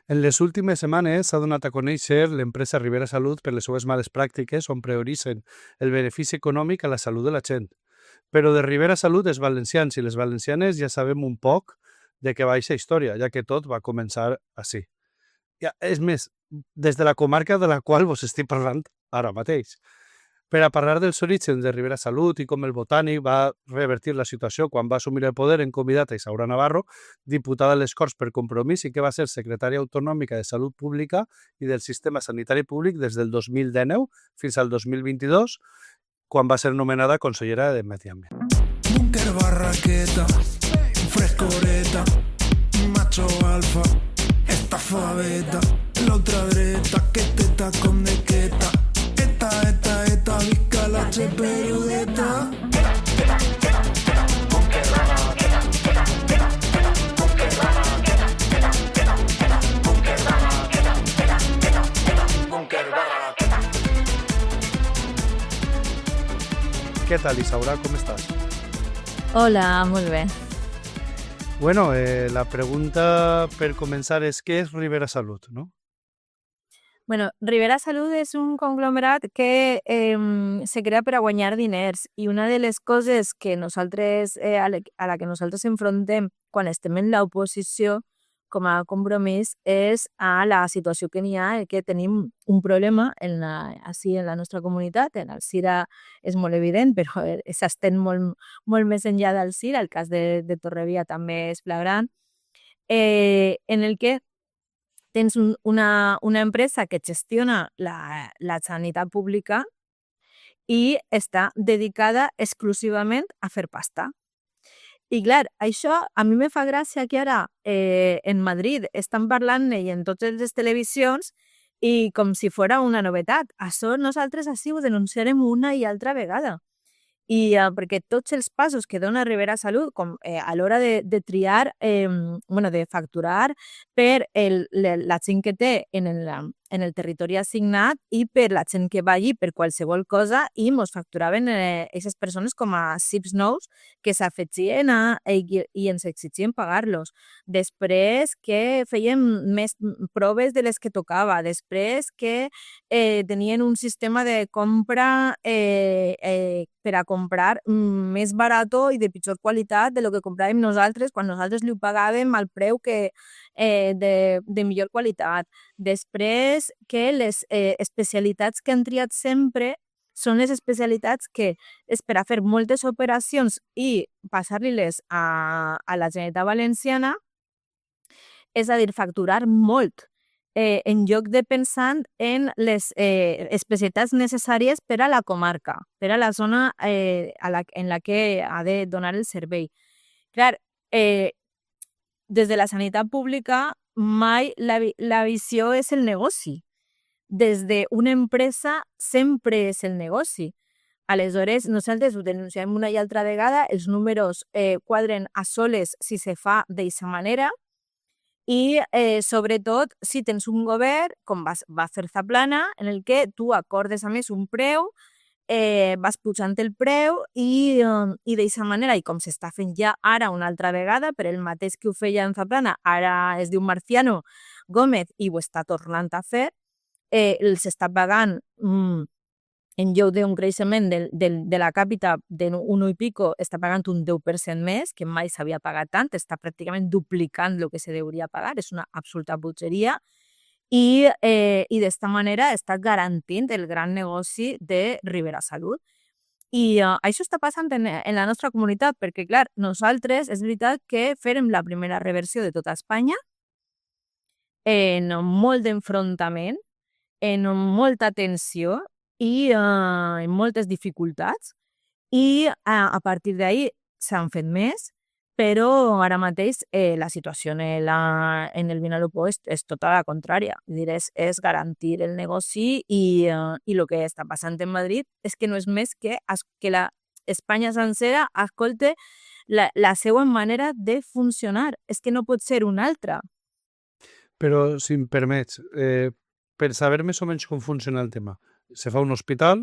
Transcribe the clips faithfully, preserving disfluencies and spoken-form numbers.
En les últimes setmanes s'ha donat a conèixer l'empresa Ribera Salut per les seues males pràctiques on prioritzen el benefici econòmic a la salut de la gent. Però de Ribera Salut, els valencians i les valencianes ja sabem un poc de què va eixa història, ja que tot va començar així. Ja, és més, des de la comarca de la qual vos estic parlant ara mateix. Per a parlar dels orígens de Ribera Salut i com el Botànic va revertir la situació quan va assumir el poder, hem convidat a Isaura Navarro, diputada a les Corts per Compromís i que va ser secretària autonòmica de Salut Pública i del Sistema Sanitari Públic des del dos mil dinou fins al dos mil vint-i-dos, quan va ser nomenada consellera de Medi Ambient. Búnquer barraqueta, frescoreta, macho alfa, estafa beta, la ultradreta, que teta con dequeta, eta, eta, eta, visca la cheperudeta. Què tal, Isaura? Com estàs? Hola, molt bé. Bueno, eh, la pregunta per començar és què és Ribera Salut, no? Bueno, Ribera Salut és un conglomerat que eh, se crea per a guanyar diners i una de les coses que nosaltres, eh, a, la, a la que nosaltres enfrontem quan estem en l'oposició com a Compromís és a la situació que n'hi ha, que tenim un problema en la, així en la nostra comunitat. En el Cira és molt evident, però s'estén molt, molt més enllà del Cira. El cas de, de Torrevia també és flagrant, eh, en el que tens un, una, una empresa que gestiona la, la sanitat pública i està dedicada exclusivament a fer pasta. I clar, això a mi me fa gràcia que ara eh, en Madrid estan parlant-ne i en totes les televisions i com si fora una novetat. Això nosaltres així ho denunciarem una i altra vegada. I eh, perquè tots els passos que dona Ribera Salut com, eh, a l'hora de, de triar, eh, bueno, de facturar per el, la gent que té en el, en el territori assignat i per la gent que va allí per qualsevol cosa, i mos facturaven aquestes eh, persones com a C I Ps nous que s'afegien i, i ens exigien pagar-los. Després que feien més proves de les que tocava, després que eh, tenien un sistema de compra eh, eh, per a comprar més barato i de pitjor qualitat de lo que compràvem nosaltres quan nosaltres li pagàvem al preu que, eh, de, de millor qualitat. Després que les eh, especialitats que han triat sempre són les especialitats que és per a fer moltes operacions i passar-li-les a, a la Generalitat Valenciana, és a dir, facturar molt. Eh, en lloc de pensar en les eh, especialitats necessàries per a la comarca, per a la zona eh, a la, en la que ha de donar el servei. Clar, eh, des de la sanitat pública mai la, la visió és el negoci. Des d'una empresa sempre és el negoci. Aleshores, nosaltres ho denunciem una i altra vegada, els números eh, quadren a soles si se fa d'aquesta manera, i eh, sobretot si tens un govern, com va, va fer Zaplana, en el que tu acordes a més un preu, eh, vas pujant el preu i, um, i d'aquesta manera, i com s'està fent ja ara una altra vegada, per el mateix que ho feia en Zaplana, ara es diu Marciano Gómez i ho està tornant a fer, eh, els està pagant mm, en lloc d'un creixement de, de, de la càpita d'un un i pico, està pagant un deu per cent més, que mai s'havia pagat tant, està pràcticament duplicant el que se hauria pagar, és una absoluta butxeria, i, eh, i d'esta manera està garantint el gran negoci de Ribera Salut. I uh, això està passant en, en la nostra comunitat, perquè, clar, nosaltres és veritat que fèrem la primera reversió de tota Espanya, en molt d'enfrontament, en molta tensió, i uh, en moltes dificultats, i uh, a partir d'ahir s'han fet més, però ara mateix eh, la situació en, la, en el Vinalopó és, és tota la contrària. És, és garantir el negoci i, uh, i el que està passant en Madrid és que no és més que, que la Espanya sencera escolte la, la seva manera de funcionar. És que no pot ser una altra. Però, si em permets, eh, per saber més o menys com funciona el tema, se fa un hospital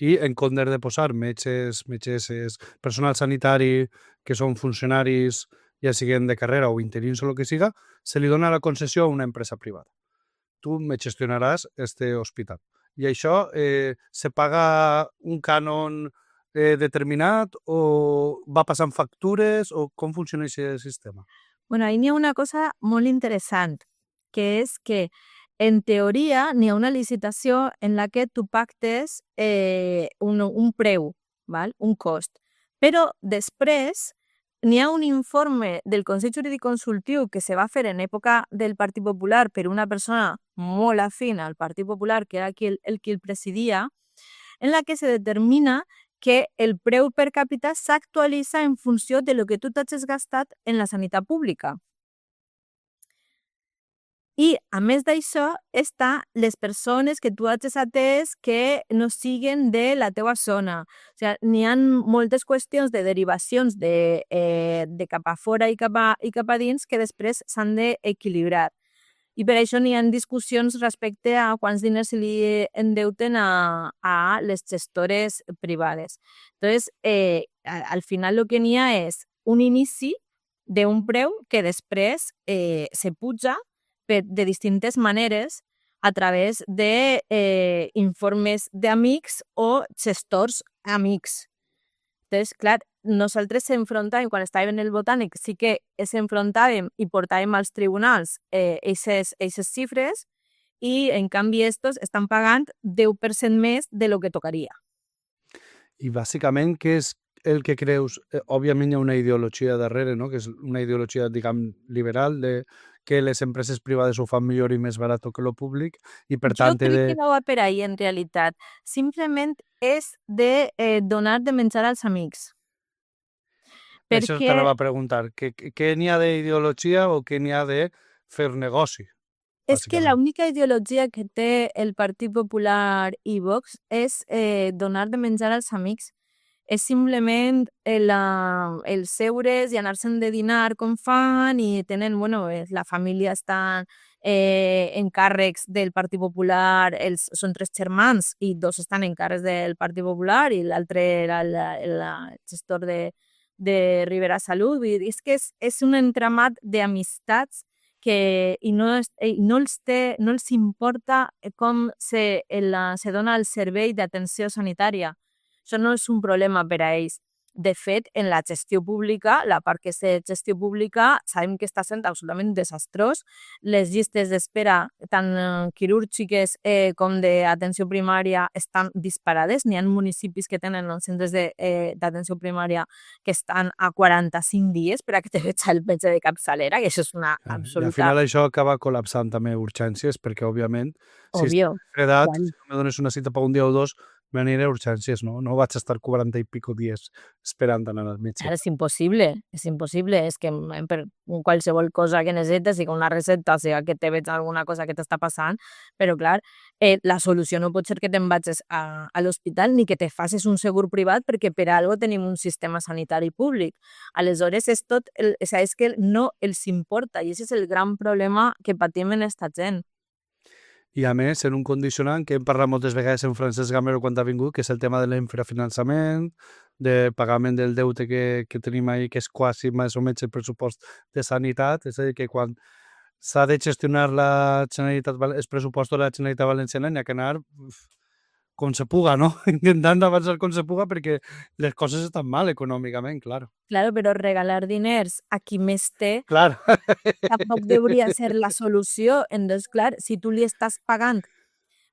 i en comptes de posar metges, metgesses, personal sanitari, que són funcionaris ja siguin de carrera o interins o el que siga, se li dona la concessió a una empresa privada. Tu me gestionaràs este hospital. I això eh, se paga un cànon eh, determinat o va passant factures o com funciona aquest sistema? Bueno, ahí n'hi ha una cosa molt interessant, que és que en teoria n'hi ha una licitació en la que tu pactes eh, un, un preu, val? Un cost, però després n'hi ha un informe del Consell Jurídic Consultiu que se va fer en època del Partit Popular per una persona molt afín al Partit Popular, que era qui el, el qui el presidia, en la que se determina que el preu per càpita s'actualitza en funció de lo que tu t'has gastat en la sanitat pública. I, a més d'això, està les persones que tu has atès que no siguen de la teua zona. O sigui, n'hi ha moltes qüestions de derivacions de, eh, de cap a fora i cap a, i cap a dins que després s'han d'equilibrar. I per això n'hi ha discussions respecte a quants diners se li endeuten a, a les gestores privades. Entonces, eh, al final el que n'hi ha és un inici d'un preu que després eh, se puja de distintes maneres a través de eh, informes d'amics o gestors amics. Entonces, clar, nosaltres s'enfrontàvem, quan estàvem en el Botànic, sí que s'enfrontàvem i portàvem als tribunals aquestes eh, xifres i, en canvi, estos estan pagant deu per cent més de lo que tocaria. I, bàsicament, què és el que creus? Eh, òbviament hi ha una ideologia darrere, no? Que és una ideologia, diguem, liberal, de que les empreses privades ho fan millor i més barat que lo públic, i per tant... Jo crec de... que no va per ahí, en realitat. Simplement és de eh, donar de menjar als amics. Perquè... Això t'anava a preguntar. Què, què n'hi ha d'ideologia o què n'hi ha de fer negoci? És que l'única ideologia que té el Partit Popular i Vox és eh, donar de menjar als amics. És simplement el, el seure's i anar-se'n de dinar com fan i tenen, bueno, la família estan eh, en càrrecs del Partit Popular, els, són tres germans i dos estan en càrrecs del Partit Popular i l'altre era el, el, el gestor de, de Rivera Salut. Vull dir, és que és, és un entramat d'amistats que i no, i no, els té, no els importa com se, el, se dona el servei d'atenció sanitària. Això no és un problema per a ells. De fet, en la gestió pública, la part que és de gestió pública, sabem que està sent absolutament desastrós. Les llistes d'espera, tant quirúrgiques eh, com d'atenció primària, estan disparades. N'hi ha municipis que tenen els centres d'atenció eh, primària que estan a quaranta-cinc dies per a que te veig el metge de capçalera, que això és una absoluta... I al final això acaba col·lapsant també urgències, perquè, òbviament, si Obvio. estàs fredat, si no me dones una cita per un dia o dos, m'aniré a urgències, no? No vaig estar quaranta i pico dies esperant anar al metge. Ara és impossible, és impossible. És que per qualsevol cosa que necessites, sigui una recepta, sigui que te veig alguna cosa que t'està passant, però clar, eh, la solució no pot ser que te'n vagis a, a l'hospital ni que te facis un segur privat, perquè per algo tenim un sistema sanitari públic. Aleshores, és tot, el, és que no els importa, i aquest és el gran problema que patim en esta gent. I a més, en un condicionant que hem parlat moltes vegades en Francesc Gamero quan ha vingut, que és el tema de l'infrafinançament, de pagament del deute que, que tenim ahí, que és quasi més o menys el pressupost de sanitat, és a dir, que quan s'ha de gestionar la Generalitat, els pressupostos de la Generalitat Valenciana, n'hi ha que anar com se puga, no? Intentant avançar com se puga, perquè les coses estan mal econòmicament, clar. Claro, però regalar diners a qui més té Clar. tampoc hauria de ser la solució. Entonces, clar, si tu li estàs pagant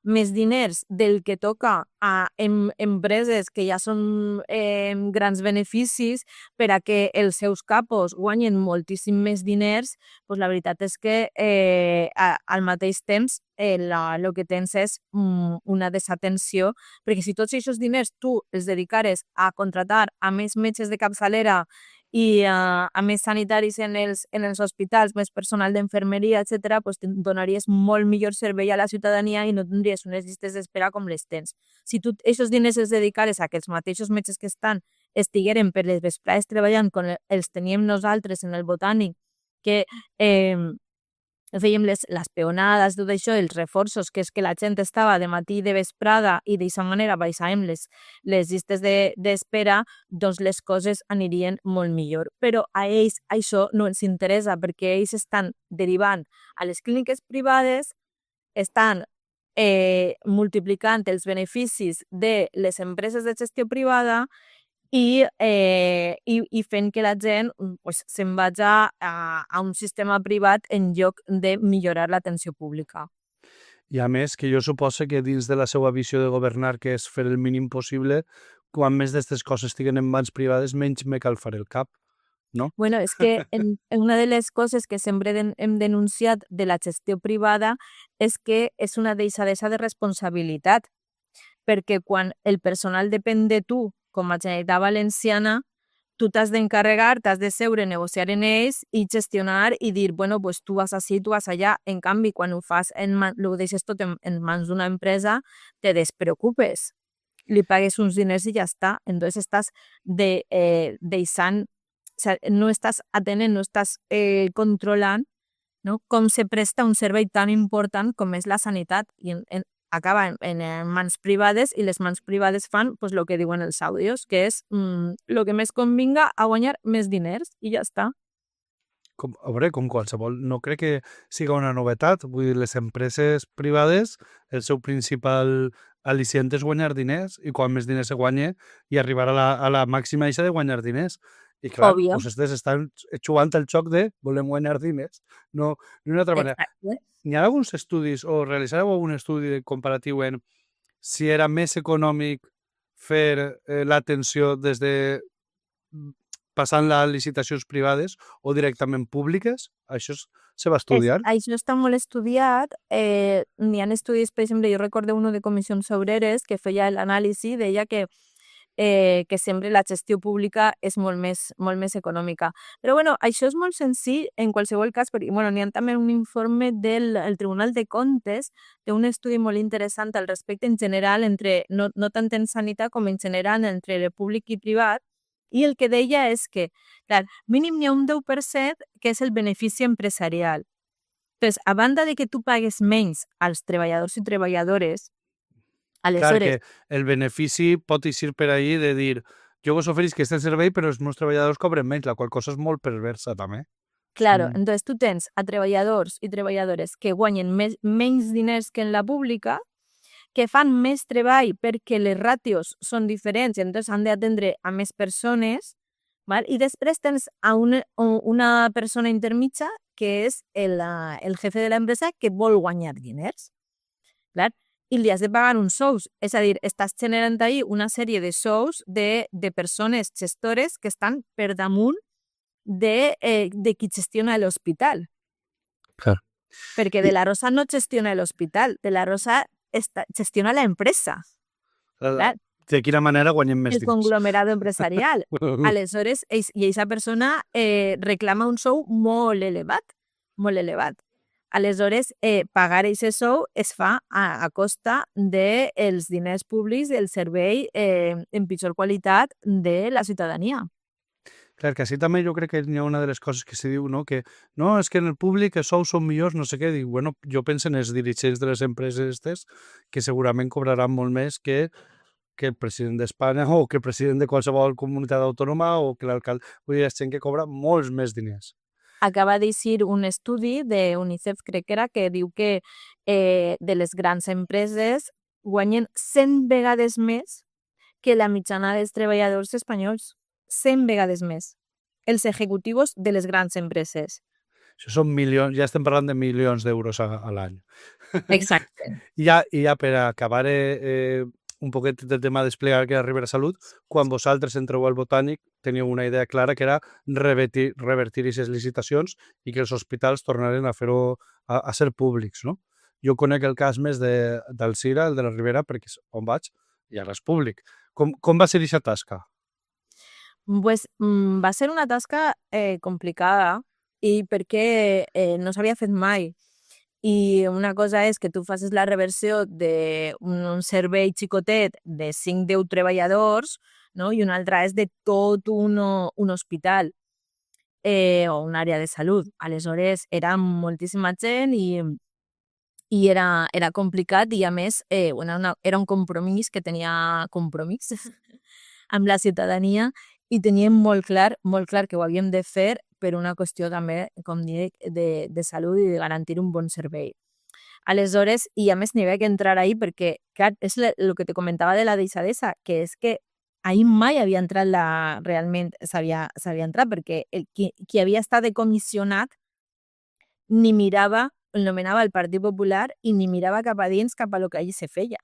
més diners del que toca a em, empreses que ja són eh, grans beneficis per a que els seus capos guanyen moltíssim més diners, doncs la veritat és que eh, a, al mateix temps el eh, que tens és mm, una desatenció, perquè si tots aquests diners tu els dedicares a contratar a més metges de capçalera i uh, a més sanitaris en els, en els hospitals, més personal d'infermeria, etcètera, pues donaries molt millor servei a la ciutadania i no tindries unes llistes d'espera com les tens. Si tu aquests diners els dedicares a que els mateixos metges que estan estigueren per les vesprades treballant com els teníem nosaltres en el Botànic, que eh, fèiem les, les peonades, tot això, els reforços, que és que la gent estava de matí i de vesprada i d'aquesta manera baixàvem les, les llistes d'espera, de, doncs les coses anirien molt millor. Però a ells això no els interessa perquè ells estan derivant a les clíniques privades, estan eh, multiplicant els beneficis de les empreses de gestió privada i, eh, i, i fent que la gent pues, se'n vagi a, a un sistema privat en lloc de millorar l'atenció pública. I a més, que jo suposo que dins de la seva visió de governar, que és fer el mínim possible, quan més d'aquestes coses estiguen en mans privades, menys me cal fer el cap, no? Bueno, és que en, en una de les coses que sempre den, hem denunciat de la gestió privada és que és una deixadesa de responsabilitat, perquè quan el personal depèn de tu, com a Generalitat Valenciana, tu t'has d'encarregar, t'has de seure, negociar en ells i gestionar i dir, bueno, pues tu vas així, tu vas allà. En canvi, quan ho fas, en man, ho deixes tot en, en mans d'una empresa, te despreocupes. Li pagues uns diners i ja està. Entonces estàs de, eh, deixant, o sea, no estàs atenent, no estàs eh, controlant, no? Com se presta un servei tan important com és la sanitat. I en, en, acaba en, en mans privades i les mans privades fan pues, el que diuen els àudios, que és el mm, que més convinga a guanyar més diners i ja està. Com, a veure, com qualsevol, no crec que siga una novetat. Vull dir, les empreses privades, el seu principal al·licient és guanyar diners i quan més diners se guanya i arribar a la, a la màxima eixa de guanyar diners. I clar, Òbvio. Pues estes estan jugant el xoc de volem guanyar diners, no d'una altra manera. Exacte. N'hi ha alguns estudis o realitzareu algun estudi comparatiu en si era més econòmic fer eh, l'atenció des de passant les licitacions privades o directament públiques? Això se va estudiar? Es, això està molt estudiat. Eh, n'hi ha estudis, per exemple, jo recordo uno de Comissions Obreres que feia l'anàlisi, deia que Eh, que sempre la gestió pública és molt més, molt més econòmica. Però bueno, això és molt senzill en qualsevol cas, perquè bueno, n'hi ha també un informe del el Tribunal de Comptes, té un estudi molt interessant al respecte en general, entre, no, no tant en sanitat com en general entre el públic i privat, i el que deia és que, clar, mínim n'hi ha un deu per cent que és el benefici empresarial. Doncs, a banda de que tu pagues menys als treballadors i treballadores, aleshores... Clar que el benefici pot eixir per ahí de dir jo vos oferís que este servei però els meus treballadors cobren menys, la qual cosa és molt perversa també. Claro, Mm. entonces tu tens a treballadors i treballadores que guanyen més, menys diners que en la pública, que fan més treball perquè les ràtios són diferents i entonces han d'atendre a més persones, val? I després tens a una, una persona intermitja que és el, el jefe de l'empresa que vol guanyar diners. Clar? I li has de pagar uns sous. És a dir, estàs generant ahí una sèrie de sous de, de persones gestores que estan per damunt de, eh, de qui gestiona l'hospital. Clar. Perquè De la Rosa no gestiona l'hospital, De la Rosa esta, gestiona la empresa. Clar. De quina manera guanyem més El diners? conglomerado empresarial. Aleshores, ells, i aquesta persona eh, reclama un sou molt elevat, molt elevat. Aleshores, eh, pagar aquest sou es fa a, a costa dels de diners públics del servei eh, en pitjor qualitat de la ciutadania. Clar, que així també jo crec que hi ha una de les coses que se diu, no? Que no, és que en el públic els sous són millors, no sé què. Dic, bueno, jo penso en els dirigents de les empreses estes que segurament cobraran molt més que, que el president d'Espanya o que el president de qualsevol comunitat autònoma o que l'alcalde. Vull dir, és gent que cobra molts més diners. Acaba d'eixir un estudi de UNICEF, crec que era, que diu que eh, de les grans empreses guanyen cent vegades més que la mitjana dels treballadors espanyols. cent vegades més. Els executius de les grans empreses. Això són milions, ja estem parlant de milions d'euros a, a l'any. Exacte. I ja, i ja per acabar eh, un poquet del tema de desplegar que era Ribera Salut, quan vosaltres entreu al Botànic teníeu una idea clara que era revertir, revertir aquestes licitacions i que els hospitals tornaren a fer-ho a, a ser públics, no? Jo conec el cas més de, del Cira, el de la Ribera, perquè és on vaig i ara és públic. Com, com va ser aquesta tasca? Pues, mm, va ser una tasca eh, complicada i perquè eh, no s'havia fet mai. I una cosa és que tu facis la reversió d'un un servei xicotet de cinc deu treballadors, no? I una altra és de tot un, un hospital. eh, o una àrea de salut. Aleshores, era moltíssima gent i, i era, era complicat i, a més, eh, una, una, era un compromís que tenia compromís amb la ciutadania i teníem molt clar, molt clar que ho havíem de fer per una qüestió també, com dic, de, de salut i de garantir un bon servei. Aleshores, i a més n'hi havia que entrar ahí perquè, clar, és el que te comentava de la deixadesa, que és que ahir mai havia entrat la... realment s'havia entrat, perquè el, qui, qui havia estat decomissionat ni mirava, el nomenava el Partit Popular i ni mirava cap a dins, cap a lo que allí se feia.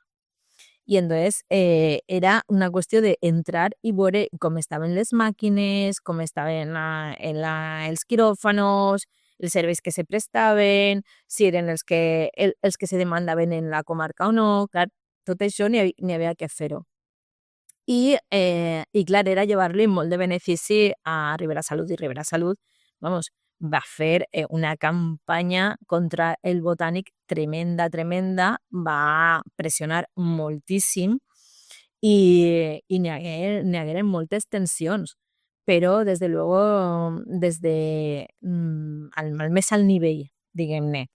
I entonces eh, era una qüestió d'entrar i veure com estaven les màquines, com estaven la, en la, els quiròfanos, els serveis que se prestaven, si eren els que, el, els que se demandaven en la comarca o no. Clar, tot això n'hi havia, havia que fer-ho. I, eh, i clar, era llevar-li molt de benefici a Ribera Salut, i Ribera Salut, vamos, va fer eh, una campanya contra el Botànic tremenda, tremenda, va pressionar moltíssim i, i n'hi hagueren, n'hi hagueren moltes tensions, però des de luego, des de mm, al, al més alt nivell, diguem-ne,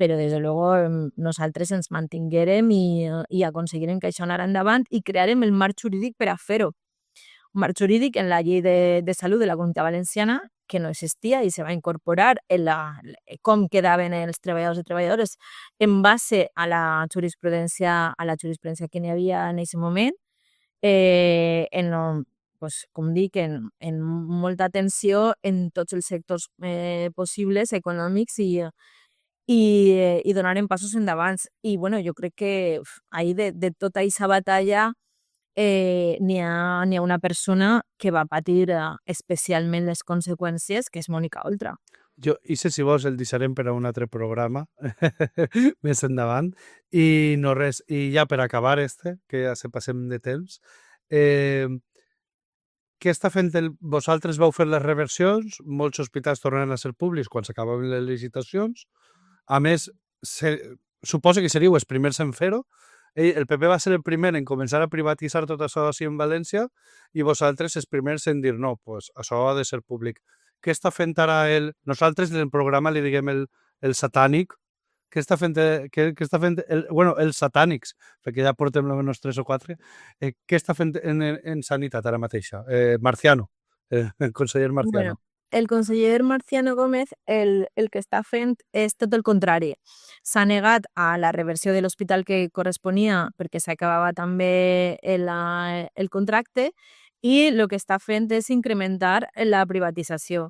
però des de luego nosaltres ens mantinguérem i, i aconseguirem que això anara endavant i crearem el marc jurídic per a fer-ho. Un marc jurídic en la llei de, de salut de la Comunitat Valenciana que no existia i se va incorporar en la, com quedaven els treballadors i treballadores en base a la jurisprudència, a la jurisprudència que n'hi havia en aquest moment, eh, en, pues, com dic, en, en molta atenció en tots els sectors eh, possibles, econòmics i, i, i donaren passos endavant. I bueno, jo crec que ahí de, de tota aquesta batalla Eh, n'hi ha, n'hi ha una persona que va patir eh, especialment les conseqüències, que és Mònica Oltra. Jo, i sé si vols el deixarem per a un altre programa més endavant. I no res, i ja per acabar este, que ja se passem de temps, eh, què està fent el... Vosaltres vau fer les reversions, molts hospitals tornaran a ser públics quan s'acabaven les licitacions. A més, se... suposo que seríeu els primers en fer-ho. El P P va ser el primer en començar a privatitzar tot això així en València i vosaltres els primers en dir no, pues això ha de ser públic. Què està fent ara el... Nosaltres en el programa li diguem el, el satànic. Què està fent, què, què està fent el, bueno, els satànics, perquè ja portem almenys tres o quatre. Eh, què està fent en, en, en sanitat ara mateixa? Eh, Marciano, eh, el conseller Marciano. Bueno, el conseller Marciano Gómez el, el que està fent és tot el contrari. S'ha negat a la reversió de l'hospital que corresponia perquè s'acabava també el, el contracte i el que està fent és incrementar la privatització.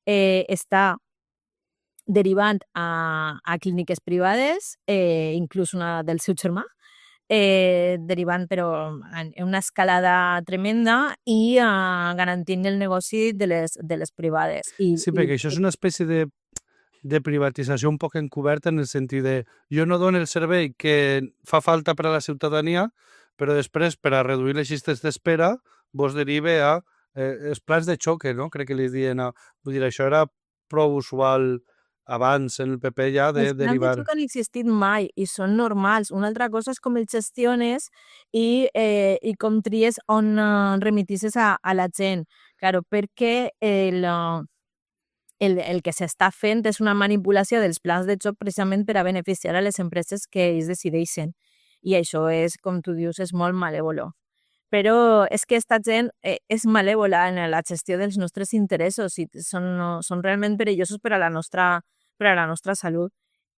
Eh, està derivant a, a clíniques privades, eh, inclús una del seu germà, Eh, derivant però en una escalada tremenda i uh, garantint el negoci de les, de les privades. I, sí, perquè i, això és una espècie de, de privatització un poc encoberta en el sentit de jo no dono el servei que fa falta per a la ciutadania, però després per a reduir les llistes d'espera vos derive a eh, els plans de xoque, no? Crec que li diuen a... Vull dir, això era prou usual abans en el P P ja de els derivar... plans de xoc han existit mai i són normals. Una altra cosa és com els gestiones i, eh, i com tries on uh, remitisses a, a la gent. Claro, perquè el, uh, el, el que s'està fent és una manipulació dels plans de xoc precisament per a beneficiar a les empreses que ells decideixen. I això és, com tu dius, és molt malèvolo. Però és que aquesta gent eh, és malèvola en la gestió dels nostres interessos i són, són realment perillosos per a la nostra per a la nostra salut.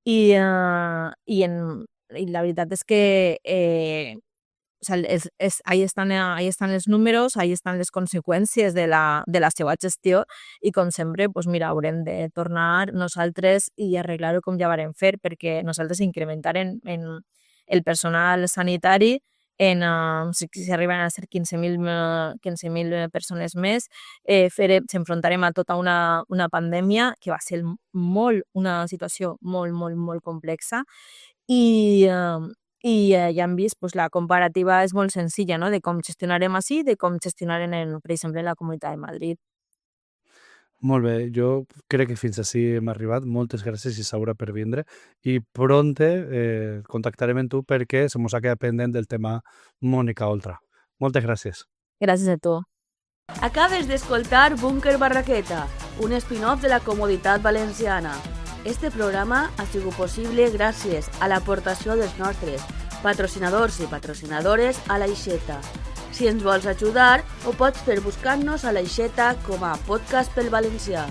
I, uh, i, en, i la veritat és que eh, o sea, és, és, ahí, estan, ahí estan els números, ahí estan les conseqüències de la, de la seva gestió i com sempre, pues mira, haurem de tornar nosaltres i arreglar-ho com ja varem fer, perquè nosaltres incrementarem en el personal sanitari en, uh, si, si arriben a ser quinze mil persones més, eh, s'enfrontarem a tota una, una pandèmia que va ser molt, una situació molt, molt, molt complexa i, uh, i uh, ja hem vist, pues, la comparativa és molt senzilla, no?, de com gestionarem així, de com gestionarem, en, per exemple, en la Comunitat de Madrid. Molt bé, jo crec que fins ací hem arribat. Moltes gràcies, Isaura, per vindre. I pronte eh, contactarem amb tu perquè se mos ha quedat pendent del tema Mònica Oltra. Moltes gràcies. Gràcies a tu. Acabes d'escoltar Búnquer Barraqueta, un spin-off de la Comoditat Valenciana. Este programa ha sigut possible gràcies a l'aportació dels nostres patrocinadors i patrocinadores a l'Aixeta. Si ens vols ajudar, ho pots fer buscant-nos a l'Aixeta com a Podcast pel Valencià.